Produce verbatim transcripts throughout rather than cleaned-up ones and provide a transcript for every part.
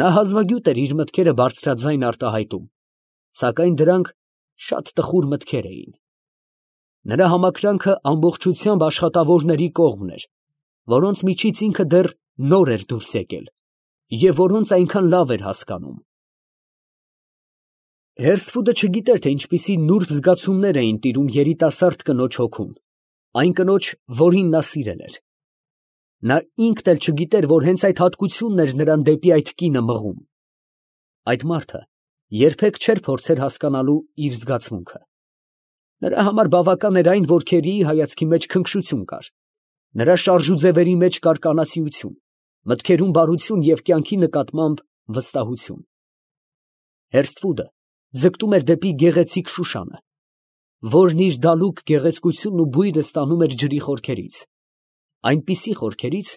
Նա հազվագյուտ էր իր մտքերը բարձրաձայն արտահայտում, սակայն դրանք շատ տխուր մտքեր էին։ Նրա համակրանքը ամբողջությամբ աշխատավորների կողմն էր, որոնց միջից ինքը դեռ նոր էր դուրս եկել և որոնց այնքան լավ էր հասկանում։ Հերսֆուդը չգիտեր, թե ինչպիսի նուրբ զգացումներ էին տիրում երիտասարդ կնոջ հոգում, այն կնոջ, որին նա սիրել էր։ Նա ինքն էլ չգիտեր, որ հենց այդ հատկությունն էր նրան դեպի այդ կինը մղում։ Այդ մարդը երբեք չէր փորձեր հասկանալու իր զգացմունքը։ Նրա համար բավական էր այն, որ Քերիի հայացքի մեջ քնքշություն կար, նրա շարժուձևերի մեջ կար կանացիություն, մտքերում բարություն և կյանքի նկատմամբ վստահություն։ Հերսֆուդը ձգտում էր դեպի գեղեցիկ Շուշանը, որն իր դալուկ գեղեցկությունն ու բույրը ստանում էր ջրի խորքերից, այնպիսի խորքերից,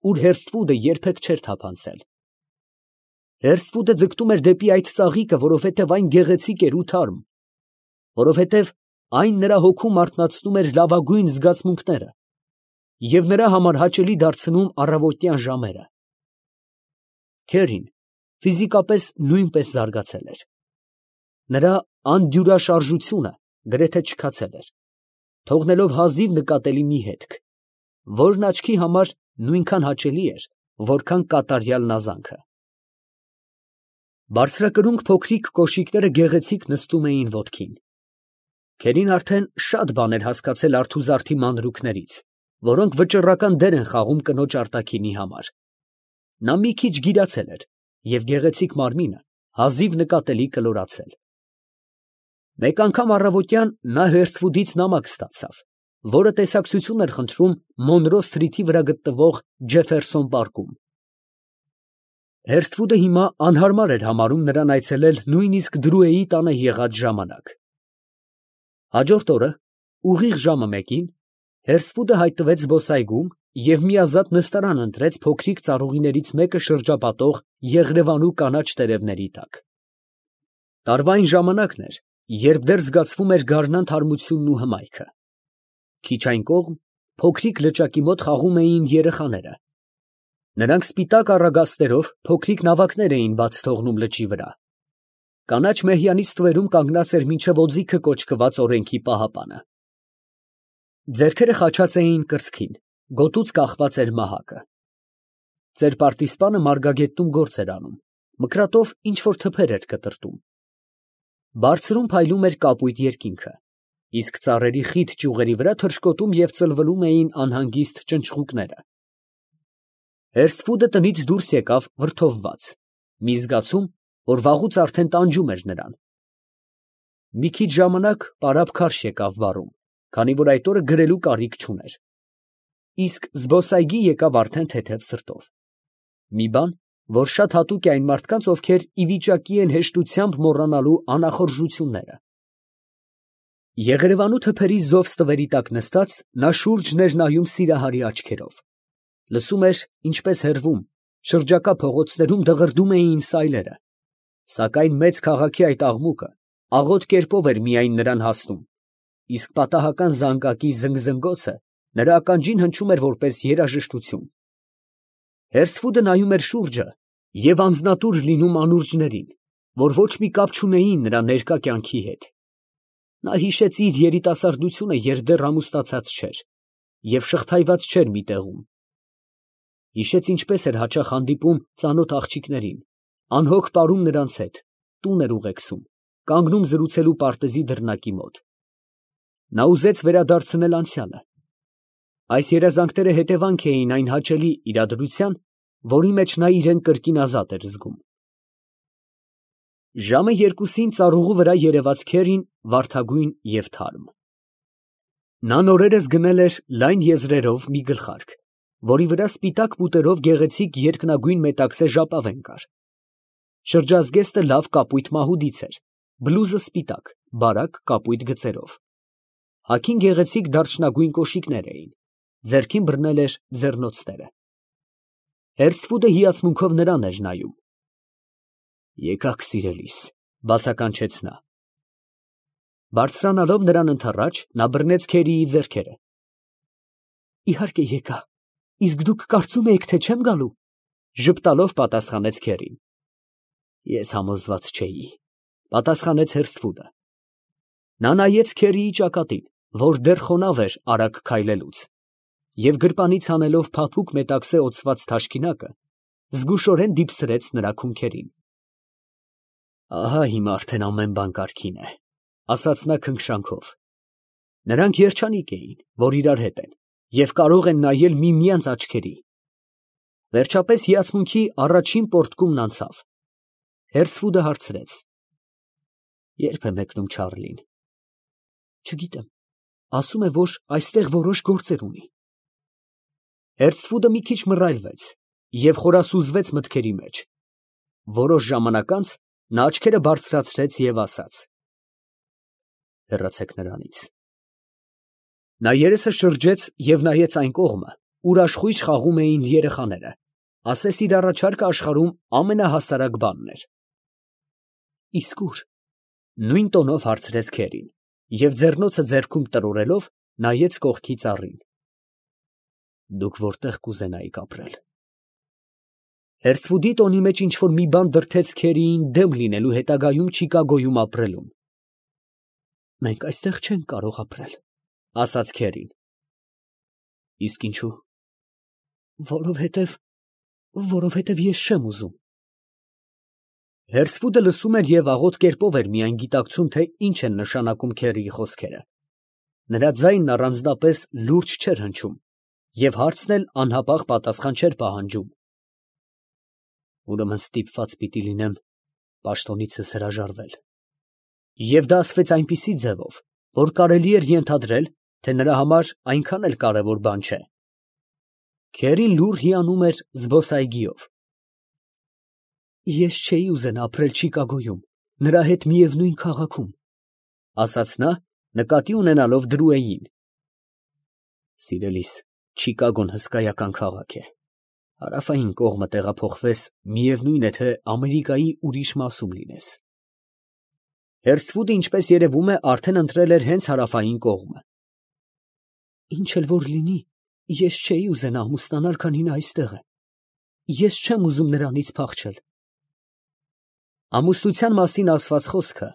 ուր Հերսֆուդը երբեք չէր թափանցել։ Հերսֆուդը ձգտում էր դեպի այդ ծաղիկը, որովհետև այն գեղեցիկ էր ու թարմ, որովհետև այն նրա հոգում արթնացնում էր լավագույն զգացմունքները և նրա համար հաճելի դարձնում առավոտյան ժամերը։ Քերին ֆիզիկապես նույնպես զարգացել էր։ Նրա անդյուրաշարժությունը գրեթե չքացել էր, թողնելով հազիվ նկատելի մի հետք, որն աչքի համար նույնքան հաճելի էր, որքան կատարյալ նազանքը։ Բարձրակրունկ փոքրիկ կոշիկները գեղեցիկ նստում էին ոտքին։ Քերին արդեն շատ բան էր հասկացել արթուզարդի մանրուքներից, որոնք վճռական դեր են խաղում կնոջ արտաքինի համար։ Նա մի քիչ գիրացել էր և գեղեցիկ մարմինը հազիվ նկատելի կլորացել։ Մեկ անգամ առավոտյան նա Հերսֆուդից նամակ ստացավ, որը տեսակցություն էր խնդրում Մոնրո սթրիթի վրա գտնվող Ջեֆերսոն պարկում։ Հերսֆուդը հիմա անհարմար էր համարում նրան այցելել նույնիսկ Դրուեի տանը եղած ժամանակ։ Հաջորդ օրը, ուղիղ ժամը մեկին, Հերսֆուդը հայտնվեց զբոսայգում և միազատ նստարան ընտրեց փոքրիկ ծառուղիներից մեկը շրջապատող եղրևանու կանաչ տերևների տակ։ Տարվա այն ժամանակն էր, երբ դեռ զգացվում էր գարնան թարմությունն ու հմայքը։ Քիչ այն կողմ, փոքրիկ լճակի մոտ խաղում էին երեխաները։ Նրանք սպիտակ առագաստերով փոքրիկ նավակներ էին բաց թողնում լճի վրա։ Կանաչ մեհյանի ստվերում կանգնած էր մինչև օձիքը կոչկված օրենքի պահապանը։ Ձեռքերը խաչած էին կրծքին, գոտուց կախված էր մահակը։ Ծեր-պարտիսպանը մարգագետնում գործ էր անում, մկրատով ինչ֊որ թփեր էր կտրտում։ Բարձրում փայլում էր կապույտ երկինքը, իսկ ծառերի խիտ ճյուղերի վրա թռչկոտում և ծլվլում էին անհանգիստ ճնճղուկները։ Հերսֆուդը տնից դուրս եկավ վրդովված, մի զգացում, որ վաղուց արդեն տանջում էր նրան։ Մի քիչ ժամանակ պարապ քարշ եկավ վառում, քանի որ այդ օրը գրելու կարիք չուներ։ Իսկ զբոսայգի եկավ արդեն թեթև սրտով։ Մի բան, որ շատ հատուկ է այն մարդկանց, ովքեր ի վիճակի են հեշտությամբ մոռանալու անախորժությունները։ Եղերևանու թփերի զով ստվերի տակ նստած, նա շուրջն էր նայում սիրահարի աչքերով։ Լսում էր, ինչպես հեռվում, շրջակա փողոցներում դղրդում էին սայլերը, սակայն մեծ քաղաքի այդ աղմուկը աղոտ կերպով էր միայն նրան հասնում, իսկ պատահական զանգակի զնգզնգոցը նրա ականջին հնչում էր որպես երաժշտություն։ Հերսֆուդը նայում էր շուրջը և անձնատուր լինում անուրջներին, որ ոչ մի կապ չունեին նրա ներկա կյանքի հետ։ Նա հիշեց իր երիտասարդությունը, երբ դեռ ամուսնացած չէր և շղթայված չէր մի տեղում։ Հիշեց, ինչպես էր հաճախ հանդիպում ծանոթ աղջիկներին, անհոգ պարում նրանց հետ, տուն էր ուղեկցում, կանգնում զրուցելու պարտեզի դռնակի մոտ։ Նա ուզեց վերադարձնել անցյալը։ Այս երազանքները հետևանք էին այն հաճելի իրադրության, որի մեջ նա իրան կրկին ազատ էր զգում։ Ժամը երկուսին ծառուղու վրա երևաց Քերին վարդագույն և թարմ։ Նա նորերս գնել էր լայն եզրերով մի գլխարկ, որի վրա սպիտակ պուտերով գեղեցիկ երկնագույն մետաքսե ժապավեն կար։ Շրջազգեստը լավ կապույտ մահուդից էր, բլուզը սպիտակ, բարակ կապույտ գծերով։ Հագին գեղեցիկ դարչնագույն կոշիկներ էին, ձեռքին բռնել էր ձեռնոցները։ Հերսֆուդը հիացմունքով նրան էր նայում։ «Եկա՛ք, սիրելիս», ֊ բացականչեց նա։ Բարձրանալով նրան ընդառաջ, նա բռնեց Քերիի ձեռքերը։ «Իհարկե եկա, իսկ դուք կարծում էիք, թե չեմ գալու», ֊ ժպտալով պատասխանեց Քերին։ Ես համոզված չէի, պատասխանեց Հերսֆուդը։ Նա նայեց Քերիի ճակատին, որ դեռ խոնավ էր արագ քայլելուց, և գրպանից հանելով փափուկ մետաքսե օծված թաշկինակը, զգուշորեն դիպսրեց նրա քունքերին։ Ահա հիմա արդեն ամեն բան կարգին է, ասաց նա քնքշանքով։ Նրանք երջանիկ էին, որ իրար հետ են, և կարող են նայել միմյանց աչքերի։ Վերջապես հիացմունքի առաջին պոռթկումն անցավ։ Հերսֆուդը հարցրեց. Ե՞րբ է մեկնում Չարլին։ Չգիտեմ, ասում է, որ այստեղ որոշ գործեր ունի։ Հերսֆուդը մի քիչ մռայլվեց և խորասուզվեց մտքերի մեջ։ Որոշ ժամանակ անց նա աչքերը բարձրացրեց և ասաց. Հեռացեք նրանից։ Նա երեսը շրջեց և նայեց այն կողմը, ուր աշխույժ խաղում էին երեխաները, ասես իր առաջարկը աշխարհում ամենահասարակ բանն էր։ Իսկ ո՞ւր։ Նույն տոնով հարցրեց Քերին և ձեռնոցը ձեռքում տրորելով նայեց կողքի ծառին։ Դուք որտեղ կուզենայիք ապրել։ Հերսֆուդի տոնի մեջ ինչ֊որ մի բան դրդեց Քերիին դեմ լինելու հետագայում Չիկագոյում ապրելուն։ Մենք այստեղ չենք կարող ապրել, ասաց Քերին։ Իսկ ինչո՞ւ։ Որովհետև, որովհետև ես չեմ ուզում։ Հերսֆուդը լսում էր և աղոտ կերպով էր միայն գիտակցում, թե ինչ են նշանակում Քերիի խոսքերը։ Նրա ձայնն առանձնապես լուրջ չէր հնչում, և հարցն էլ անհապաղ պատասխան չէր պահանջում։ Ուրեմն ստիպված պիտի լինեմ պաշտոնիցս հրաժարվել։ Եվ դա ասվեց այնպիսի ձևով, որ կարելի էր ենթադրել, թե նրա համար այնքան էլ կարևոր բան չէ։ Քերին լուռ հիանում էր զբոսայգիով։ Ես չէի ուզենա ապրել Չիկագոյում, նրա հետ միևնույն քաղաքում, ասաց նա, նկատի ունենալով Դրուեին։ Սիրելիս, Չիկագոն հսկայական քաղաք է։ Հարավային կողմը տեղափոխվես, միևնույն է, թե Ամերիկայի ուրիշ մասում լինես։ Հերսֆուդը, ինչպես երևում է, արդեն ընտրել էր հենց հարավային կողմը։ Ինչ էլ որ լինի, ես չէի ուզենա ամուսնանալ, քանի նա այստեղ է։ Ես չեմ ուզում նրանից փախչել։ Ամուսնության մասին ասված խոսքը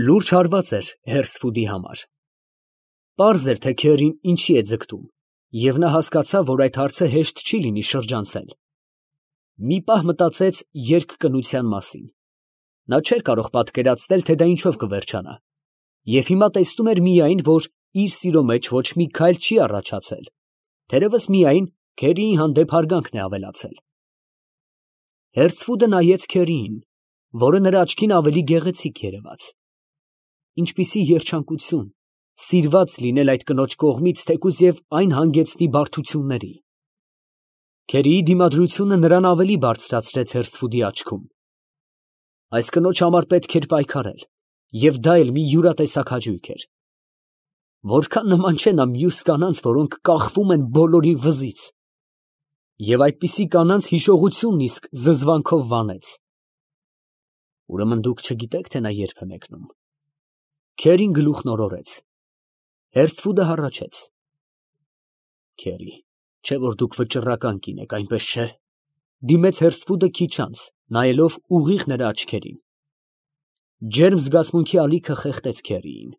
լուրջ հարված էր Հերսֆուդի համար։ Պարզ էր, թե Քերին ինչի է ձգտում, և նա հասկացավ, որ այդ հարցը հեշտ չի լինի շրջանցել։ Մի պահ մտածեց երկկնության մասին։ Նա չէր կարող պատկերացնել, թե դա ինչով կվերջանա, և հիմա տեսնում էր միայն, որ իր սիրո մեջ ոչ մի քայլ չի առաջացել, թերևս միայն Քերիի հանդեպ հարգանքն է ավելացել։ Հերսֆուդը նայեց Քերիին, որը նրա աչքին ավելի գեղեցիկ երևաց։ Ինչպիսի երջանկություն, սիրված լինել այդ կնոջ կողմից, թեկուզ և այն հանգեցնի բարդությունների։ Քերիի դիմադրությունը նրան ավելի բարձրացրեց Հերսֆուդի աչքում։ Այս կնոջ համար պետք էր պայքարել, և դա էլ մի յուրատեսակ հաճույք էր։ Որքան նման չէ նա մյուս կանանց, որոնք կախվում են բոլորի վզից։ Եվ այդպիսի կանանց հիշողությունն իսկ զզվանքով վանեց։ Ուրեմն դուք չգիտեք, թե նա երբ է մեկնում։ Քերին գլուխն օրորեց։ Հերսֆուդը հառաչեց։ Քերի, չէ որ դուք վճռական կին եք, այնպես չէ։ Դիմեց Հերսֆուդը քիչ անց, նայելով ուղիղ նրա աչքերին։ Ջերմ զգացմունքի ալիքը խեղդեց Քերիին։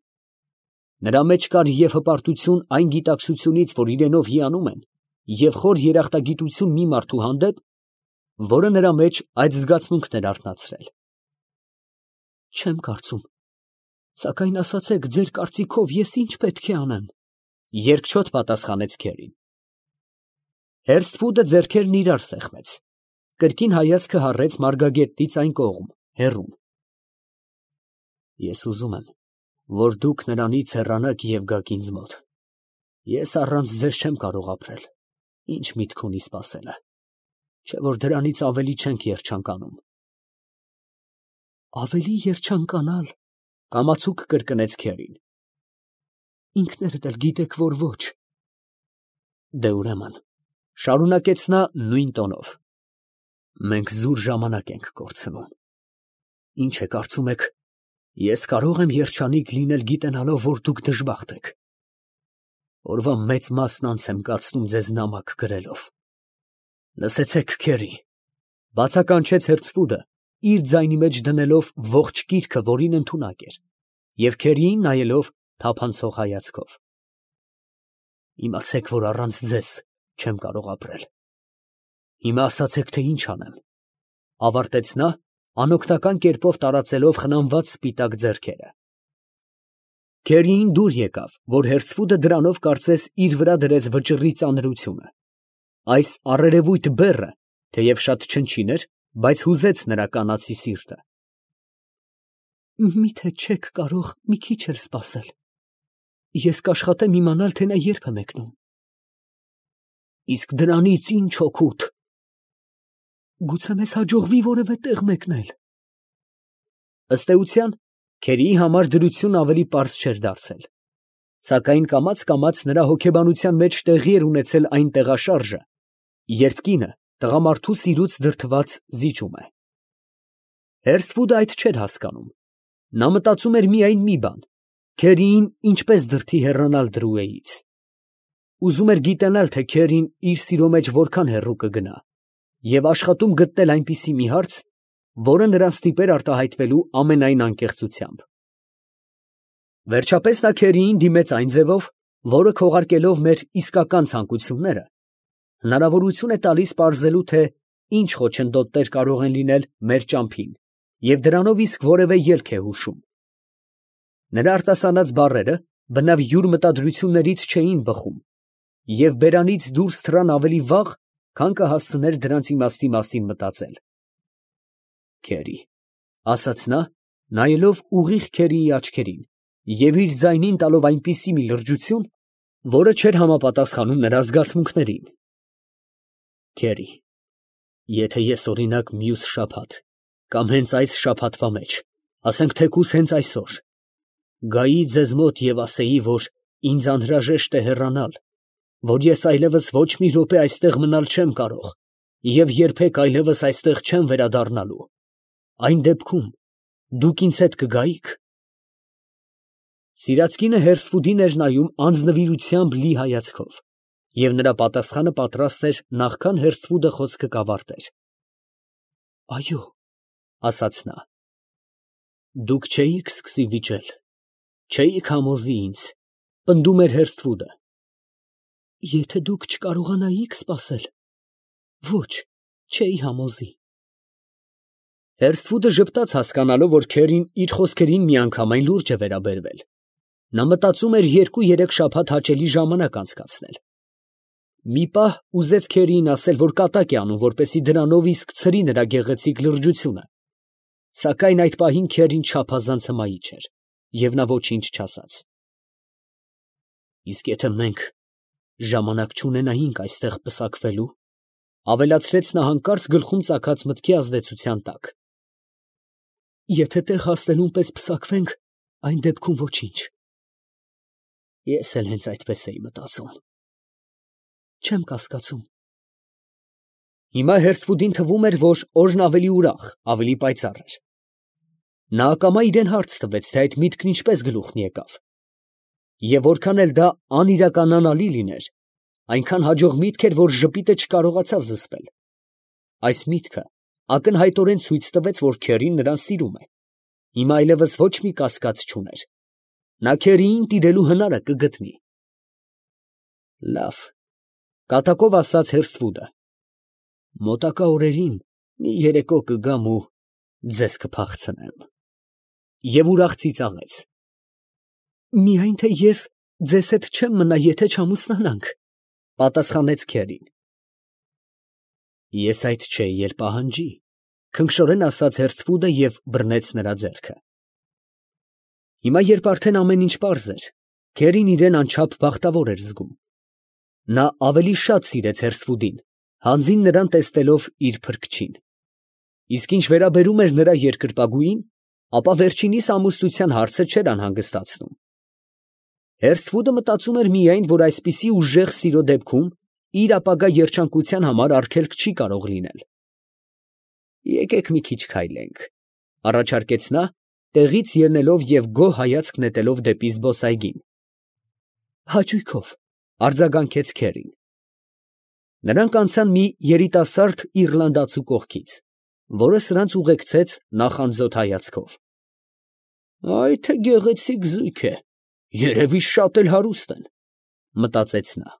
Նրա մեջ կար և հպարտություն այն գիտակցությունից, որ իրենով հիանում են, և խոր երախտագիտություն մի մարդու հանդեպ, որը նրա մեջ այդ զգացմունքն էր արթնացրել։ Չեմ կարծում, սակայն ասացեք, ձեր կարծիքով ես ինչ պետք է անեմ, երկչոտ պատասխանեց Քերին։ Հերսֆուդը ձեռքերն իրար սեղմեց, կրկին հայացքը հառեց մարգագետնից այն կողմ, հեռուն։ Ես ուզում եմ, որ դուք նրանից հեռանաք և գաք ինձ մոտ։ Ես առանց ձեզ չեմ կարող ապրել, ինչ միտք ունի սպասելը, չէ որ դրանից ավելի չենք երջանկանում։ Ավելի երջանկանալ, կամացուկ կրկնեց Քերին։ Ինքներդ էլ գիտեք, որ ոչ։ Դե ուրեմն, շարունակեց նա նույն տոնով, մենք զուր ժամանակ ենք կորցնում։ Ինչ է կարծում եք, ես կարող եմ երջանիկ լինել գիտենալով, որ դուք դժբախտ եք։ Օրվա մեծ մասն անց եմ կացնում ձեզ նամակ գրելով։ Լսեցեք, Քերի, բացականչեց Հերսֆուդը, իր ձայնի մեջ դնելով ողջ գիրքը, որին ընդունակ էր, և քերիին նայելով թափանցող հայացքով։ Իմացեք, որ առանց ձեզ չեմ կարող ապրել։ Հիմա ասացեք, թե ինչ անեմ, ֊ ավարտեց նա, անօգնական կերպով տարածելով խնամված սպիտակ ձեռքերը։ Քերիին դուր եկավ, որ հերսֆուդը դրանով կարծես իր վրա դրեց վճռի ծանրությունը։ Այս առերևույթ բեռը, թեև շատ չնչին էր, բայց հուզեց նրա կանացի սիրտը։ Մի՞թե չեք կարող մի քիչ էլ սպասել. ես կաշխատեմ իմանալ, թե նա երբ է մեկնում։ Իսկ դրանից ի՞նչ օգուտ։ Գուցե մեզ հաջողվի որևէ տեղ մեկնել։ Ըստ էության, քերիի համար դրությունն ավելի պարզ չէր դարձել, սակայն կամաց֊կամաց նրա հոգեբանության մեջ տեղի էր ունեցել այն տեղաշարժը, երբ կինը տղամարդու սիրուց դրդված զիջում է։ Հերսֆուդը այդ չէր հասկանում. նա մտածում էր միայն մի բան. քերիին ինչպես դրդի հեռանալ Դրուեից։ Ուզում էր գիտենալ, թե քերին իր սիրո մեջ որքան հեռու կգնա, և աշխատում գտնել այնպիսի մի հարց, որը նրան ստիպեր արտահայտվելու ամենայն անկեղծությամբ։ Վերջապես նա քերիին դիմեց այն ձևով, որը քողարկելով մեր իսկական ցանկությունները, հնարավորություն է տալիս պարզելու, թե ինչ խոչընդոտներ կարող են լինել մեր ճամփին, և դրանով իսկ որևէ ելք է հուշում։ Նրա արտասանած բառերը բնավ յուր մտադրություններից չէին բխում, և բերանից դուրս թռան ավելի վաղ, քան կհասցներ դրանց իմաստի մասին մտածել։ Քերի, ֊ ասաց նա, նայելով ուղիղ քերիի աչքերին և իր ձայնին տալով այնպիսի մի լրջություն, որը չէր համապատասխանում նրա զգացմունքներին։ Քերի, եթե ես, օրինակ, մյուս շաբաթ, կամ հենց այս շաբաթվա մեջ, ասենք թեկուզ հենց այսօր, գայի ձեզ մոտ և ասեի, որ ինձ անհրաժեշտ է հեռանալ, որ ես այլևս ոչ մի րոպե այստեղ մնալ չեմ կարող և երբեք այլևս այստեղ չեմ վերադառնալու, այն դեպքում դուք ինձ հետ կգայի՞ք։ Սիրած կինը հերսֆուդին էր նայում անձնվիրությամբ լի հայացքով, և նրա պատասխանը պատրաստ էր նախքան հերսֆուդը խոսքը կավարտեր։ Այո, ֊ ասաց նա։ Դուք չէիք սկսի վիճել, չէիք համոզի ինձ, ֊ պնդում էր հերսֆուդը։ Եթե դուք չկարողանայիք սպասել, ոչ, չէի համոզի։ Հերսֆուդը ժպտաց, հասկանալով, որ քերին իր խոսքերին միանգամայն լուրջ է վերաբերվել։ Նա մտածում էր երկու֊երեք շաբաթ հաճելի ժամանակ անցկացնել։ Մի պահ ուզեց քերիին ասել, որ կատակ է անում, որպեսզի դրանով իսկ ցրի նրա գեղեցիկ լրջությունը, սակայն այդ պահին քերին չափազանց հմայիչ էր, և նա ոչինչ չասաց։ Իսկ եթե մենք ժամանակ չունենայինք այստեղ պսակվելու, ֊ ավելացրեց նա հանկարծ գլխում ծագած մտքի ազդեցության տակ։ Եթե տեղ հասնելուն պես պսակվենք, այն դեպքում ոչինչ։ Ես էլ հենց այդպես էի մտածում։ Չեմ կասկածում։ Հիմա հերսֆուդին թվում էր, որ օրն ավելի ուրախ, ավելի պայծառ էր։ Նա ակամա իրան հարց տվեց, թե այդ միտքն ինչպես գլուխն եկավ։ Եվ որքան էլ դա անիրականանալի լիներ, այնքան հաջող միտք էր, որ ժպիտը չկարողացավ զսպել։ Այս միտքը ակնհայտորեն ցույց տվեց, որ քերին նրան սիրում է։ Հիմա այլևս ոչ մի կասկած չուներ։ Նա քերիին տիրելու հնարը կգտնի։ Լավ, ֊ կատակով ասաց հերսֆուդը։ Մոտակա օրերին մի երեկո կգամ ու ձեզ կփախցնեմ։ Եվ ուրախ ծիծաղեց։ Միայն թե ես ձեզ հետ չեմ մնա, եթե չամուսնանանք, ֊ պատասխանեց քերին։ Ես այդ չէի էլ պահանջի, ֊ քնքշորեն ասաց հերսֆուդը և բռնեց նրա ձեռքը։ Հիմա, երբ արդեն ամեն ինչ պարզ էր, քերին իրան անչափ բախտավոր էր զգում։ Նա ավելի շատ սիրեց հերսֆուդին, հանձին նրան տեսնելով իր փրկչին։ Իսկ ինչ վերաբերում էր նրա երկրպագուին, ապա վերջինիս ամուսնության հարցը չէր անհանգստացնում։ Հերսֆուդը մտածում էր միայն, որ այսպիսի ուժեղ սիրո դեպքում իր ապագա երջանկության համար արգելք չի կարող լինել։ Եկեք մի քիչ քայլենք, ֊ առաջարկեց նա, տեղից ելնելով և գոհ հայացք նետելով դեպի զբոսայգին։ Հաճույքով, ֊ արձագանքեց քերին։ Նրանք անցան մի երիտասարդ իռլանդացու կողքից։ որը սրանց ուղեկցեց նախանձոտ հայացքով։ «Այ թե գեղեցիկ զույգ է, երևի շատ էլ հարուստ են», ֊ մտածեց նա։